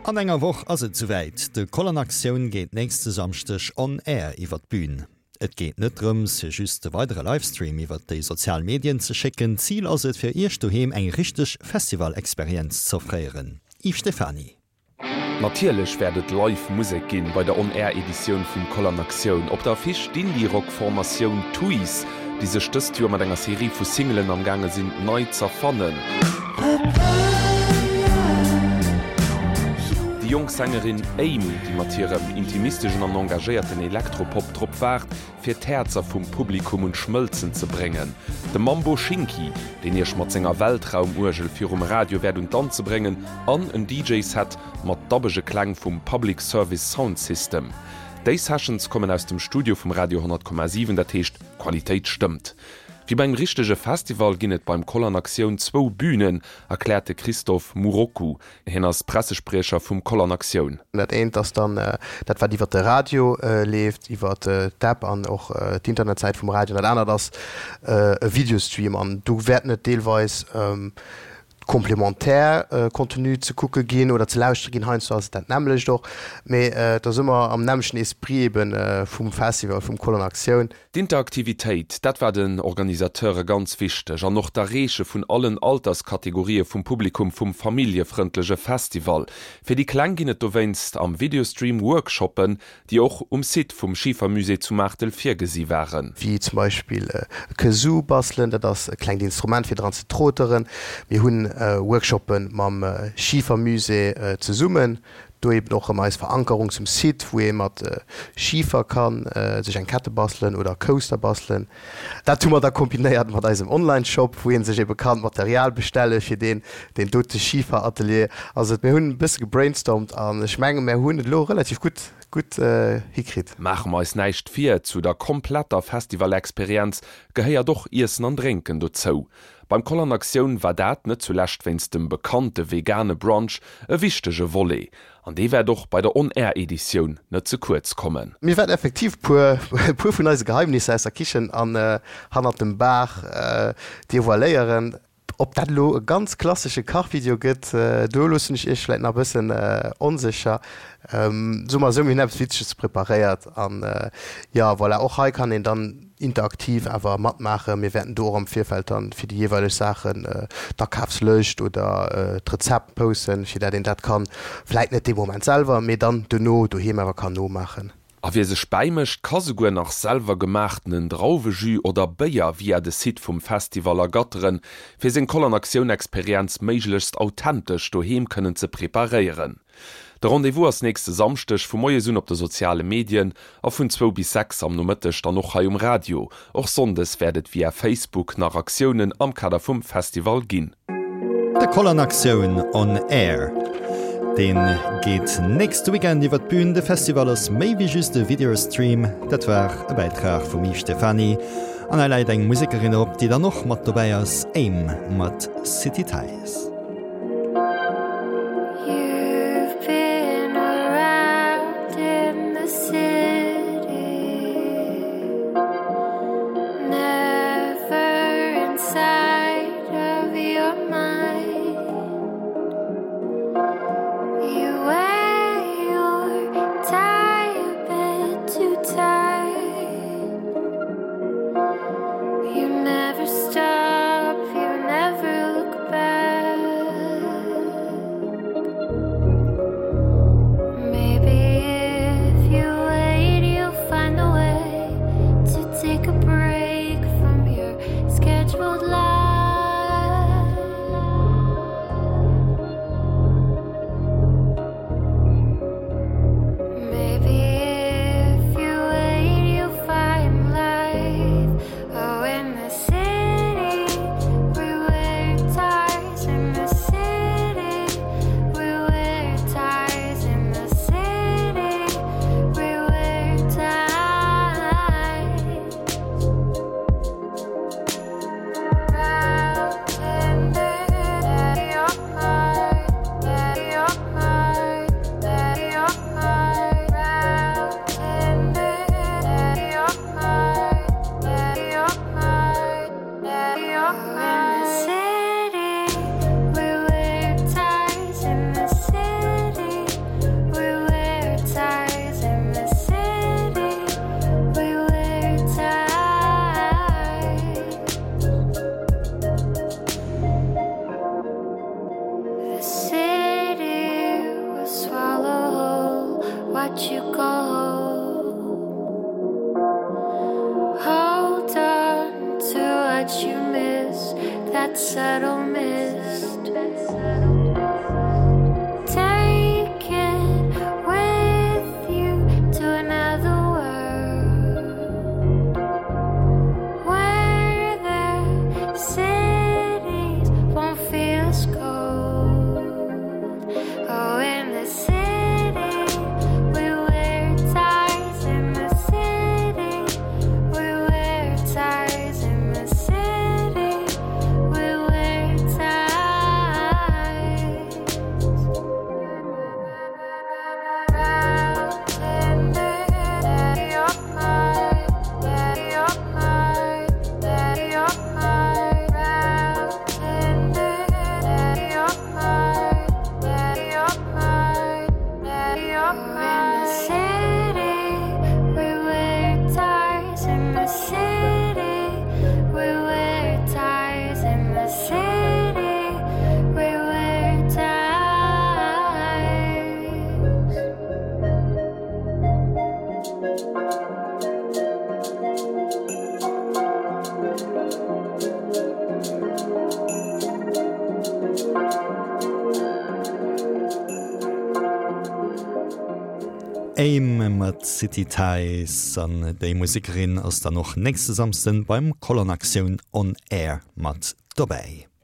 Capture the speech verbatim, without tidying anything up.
An enger Woch ass et souwäit, De Koll an Aktioun geet nächste Samschdeg on air iwwer d'Bün. Et geet net drëms, fir just e weidere Livestream iwwer déi sozial Medien ze schécken, Zil ass et, fir Iech doheem eng richteg Festival-Experienz z'offréieren. Yves Stephany. Natierlech wäert et live Musek ginn bei der On-Air-Editioun vum Koll an Aktioun. Op der Affiche d'Indie-Rock-Formatioun Tuys, déi sech dëst Joer mat enger Serie vu Singelen am gaange sinn nei z'erfannen. Déi jonk Sängerin Aim, déi mat hirem intimisteschen an engagéierten Elektropop drop waart, fir d'Häerzer vum Publikum un d'Schmëlzen ze bréngen. De Mambo Shinki, deen iech mat senger Weltraum-Uergel virum Radio wäert un d'Danze bréngen an en D J-Set mat dabbege Kläng vum Public Service Sound System. Déi Sessions kommen aus dem Studio vum Radio honnert Komma siwen, dat heescht, d'Qualitéit stëmmt. Wéi beim richtege Festival ginn et beim Koll an Aktioun zwou Bünen, erkläert de Christophe Muroccu. Hien ass Pressespriecher vum Koll an Aktioun. Dat eent ass dann dat wat iwwer de Radio leeft, iwwer d'App an och d'Internetsäit vum Radio. Dat anert ass e Videostream an do wäerten et deelweis komplementär Contenu ze kucke ginn oder ze lauschtere ginn. Heiansdo ass et dat nämmlecht och, mee et ass ëmmer am nämmlechten Esprit eben vum Festival, vum Koll an Aktioun. D'Interaktivitéit, dat war den Organisateure ganz wichteg an och d'Erreeche vun allen Alterskategorië vum Publikum vum familljefrëndleche Festival. Fir déi Kleng ginn et dowéinst am Videostream Workshoppen, déi och um Site vum Schifermusée zu Maartel virgesi waren. Wéi zum Beispill e Kazoo bastelen, dat ass e klengt Instrument fir dran ze troteren. Mir hunn Workshoppe mam Schifermusée zesummen, do eben och ëmmer eis Verankerung zum Site, wou ee mat Schifer ka sech eng Kette bastelen oder Coaster bastelen. Dat hu mer da kombinéiert mat eisem Online-Shop, wou ee sech ebe kann d'Material bestelle fir deen deen dote Schiferatelier. Also mir hunn e bësse gebrainstormt an ech menge mir hunn et elo relativ gutt gutt hikritt. Maache mer eis näischt vir, zu der kompletter Festivalexperienz gehéiert och Iessen an Drénken dozou. Beim Koll an Aktioun war dat, net zulescht wéinst dem bekannte vegane Brunch, e wichtege Volet. An dee wäert och bei der On-Air-Editioun net ze kuerz kommen. Mir wäerten effektiv puer puer vun eise Geheimnisser aus der Kichen an hannert dem Bar devoiléieren. Ob dat elo e ganz klassesche Kachvideo gëtt, do loossen ech iech vläit nach e bëssen onsécher. Soe mer esou, mir hunn eppes Witzeges preparéiert an jo, voilà, och hei kann een dann interaktiv awer matmaachen. Mir wäerten do och am Virfeld dann fir déi jeeweileg Saachen d'Akafslëscht oder d'Rezept posten, fir dat een dat kann, vläit net dee Moment selwer, mee dann dono doheem awer kann nomaachen. A wie sech bäimécht, ka souguer nach selwer gemaachtenen Drauwejus oder Béier via de Site vum Festival ergatteren, fir seng Koll an Aktioun-Experienz méiglechst authentesch doheem kënnen ze preparéieren. De Rendez-vous ass nächste Samschdeg vu moies un op de soziale Medien a vun zwou bis sechs am Nomëtteg dann och hei um Radio. Och sonndes wäert et via Facebook nach Aktiounen am Kader vum Festival ginn. De Koll an Aktioun on Air. Dee geet nächste Weekend iwwer d'Bün. De Festival ass méi wéi just e Videostream. Dat war e Bäitrag vum Yves Stephany. An hei läit eng Musekerin op, déi dann och mat dobäi ass, Aim mat City Ties. You've been around in the city, never inside of your mind. You wear your tie a bit too tight. You never stop, you never look back. Best. Take it with you to another world where the cities won't feel as cold. Oh, in the city we wear ties. In the city we wear ties. In the city we wear ties. In the city, we wear ties. In the city, we wear ties. In the city, we wear ties. Aim mat City Ties an déi Musekerin ass dann och nächste Samschden beim Kolonaktion on Air mat dobäi.